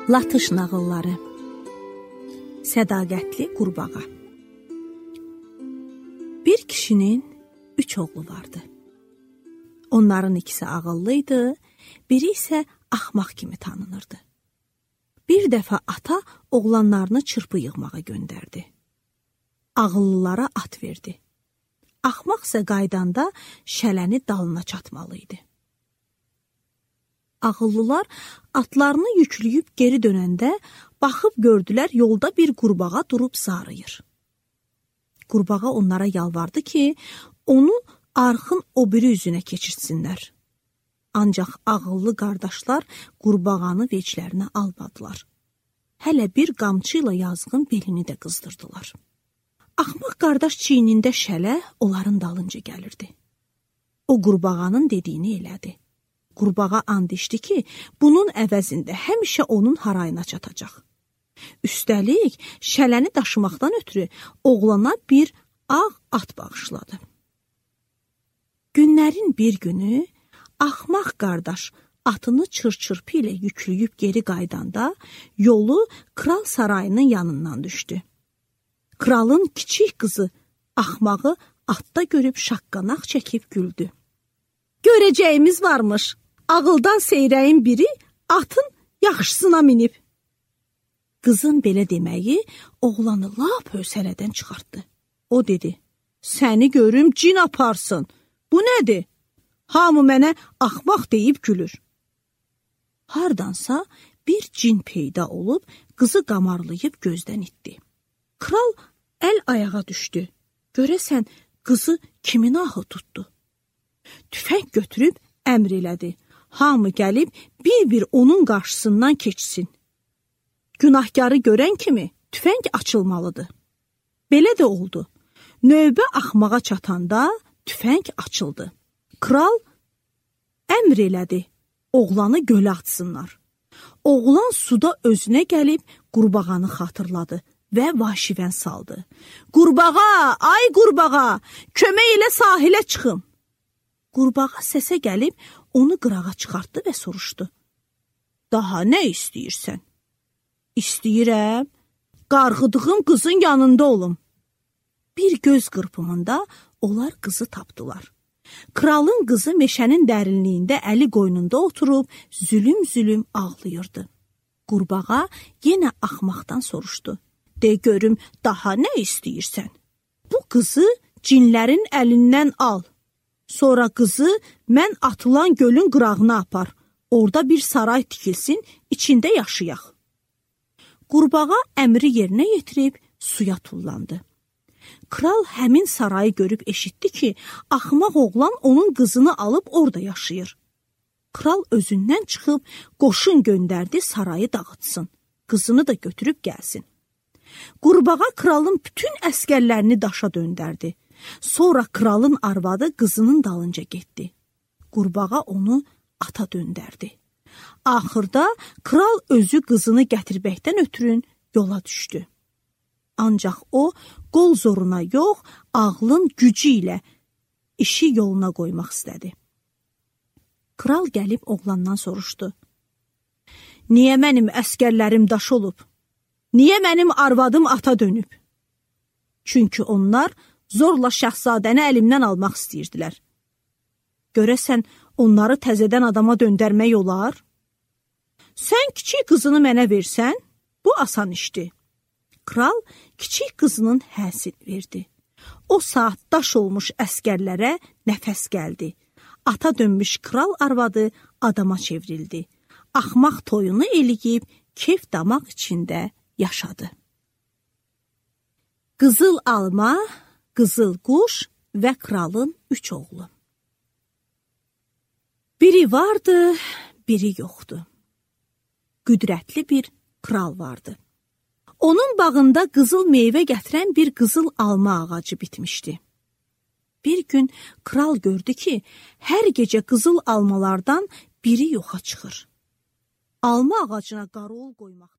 Latış nağılları. Sədaqətli qurbağa. Bir kişinin 3 oğlu vardı. Onların ikisi ağıllıydı, biri isə axmaq kimi tanınırdı. Bir dəfə ata oğlanlarını çırpı yığmağa göndərdi. Ağıllılara at verdi. Axmaq isə qaydanda şələni dalına çatmalıydı. Ağıllılar atlarını yükləyib geri dönəndə baxıb gördülər yolda bir qurbağa durub zarıyır. Qurbağa onlara yalvardı ki, onu arxın o biri üzünə keçirsinlər. Ancaq ağıllı qardaşlar qurbağanı veclərinə almadılar. Hələ bir qamçı ilə yazğın belini də qızdırdılar. Axmaq qardaş çiynində şələ onların dalınca gəlirdi. O qurbağanın dediyini elədi. Qurbağa and içdi ki, bunun əvəzində həmişə onun harayına çatacaq. Üstəlik, şələni daşımaqdan ötürü oğlana bir ağ at bağışladı. Günlərin bir günü axmaq qardaş atını çır-çırpı ilə yükləyib geri qaydanda yolu kral sarayının yanından düşdü. Kralın kiçik qızı axmağı atda görüb şaqqanaq çəkib güldü. Görəcəyimiz varmış. Ağıldan seyrəyin biri atın yaxşısına minib. Qızın belə deməyi oğlanı lap hövsələdən çıxartdı. O dedi, səni görüm cin aparsın. Bu nədir? Hamı mənə axmaq deyib gülür. Hardansa bir cin peyda olub qızı qamarlayıb gözdən itdi. Kral əl ayağa düşdü. Görəsən qızı kimin ahı tutdu? Tüfəng götürüb əmr elədi. Hamı gəlib bir-bir onun qarşısından keçsin. Günahkarı görən kimi tüfəng açılmalıdır. Belə də oldu. Növbə axmağa çatanda tüfəng açıldı. Kral əmr elədi. Oğlanı gölə atsınlar. Oğlan suda özünə gəlib qurbağanı xatırladı və vaşivən saldı. Qurbağa, ay qurbağa, kömək elə sahilə çıxım. Qurbağa səsə gəlib onu qırağa çıxartdı və soruşdu. Daha nə istəyirsən? İstəyirəm, qarğıdığım qızın yanında olum. Bir göz qırpımında onlar qızı tapdılar. Kralın qızı meşənin dərinliyində əli qoynunda oturub zülüm-zülüm ağlayırdı. Qurbağa yenə axmaqdan soruşdu. De görüm, daha nə istəyirsən? Bu qızı cinlərin əlindən al. Sonra qızı mən atılan gölün qırağına apar. Orada bir saray tikilsin, içində yaşayaq. Qurbağa əmri yerinə yetirib suya tullandı. Kral həmin sarayı görüb eşitdi ki, axmaq oğlan onun qızını alıb orada yaşayır. Kral özündən çıxıb qoşun göndərdi sarayı dağıtsın. Qızını da götürüb gəlsin. Qurbağa kralın bütün əskərlərini daşa döndərdi. Sonra kralın arvadı qızının dalınca getdi. Qurbağa onu ata döndərdi. Axırda kral özü qızını gətirməkdən ötürün yola düşdü. Ancaq o qol zoruna yox, ağlın gücü ilə işi yoluna qoymaq istədi. Kral gəlib oğlandan soruşdu. Niyə mənim əskərlərim daş olub? Niyə mənim arvadım ata dönüb? Çünki onlar zorla şahzadəni əlimdən almaq istəyirdilər. Görəsən, onları təzədən adama döndərmək olar? Sən kiçik qızını mənə versən, bu asan işdir. Kral kiçik qızının həsini verdi. O saat daş olmuş əskərlərə nəfəs gəldi. Ata dönmüş kral arvadı adama çevrildi. Axmaq toyunu eləyib, keyf damaq içində yaşadı. Qızıl alma, qızıl quş və kralın 3 oğlu. Biri vardı, biri yoxdu. Qüdrətli bir kral vardı. Onun bağında qızıl meyvə gətirən bir qızıl alma ağacı bitmişdi. Bir gün kral gördü ki, hər gecə qızıl almalardan biri yoxa çıxır. Alma ağacına qarol qoymaq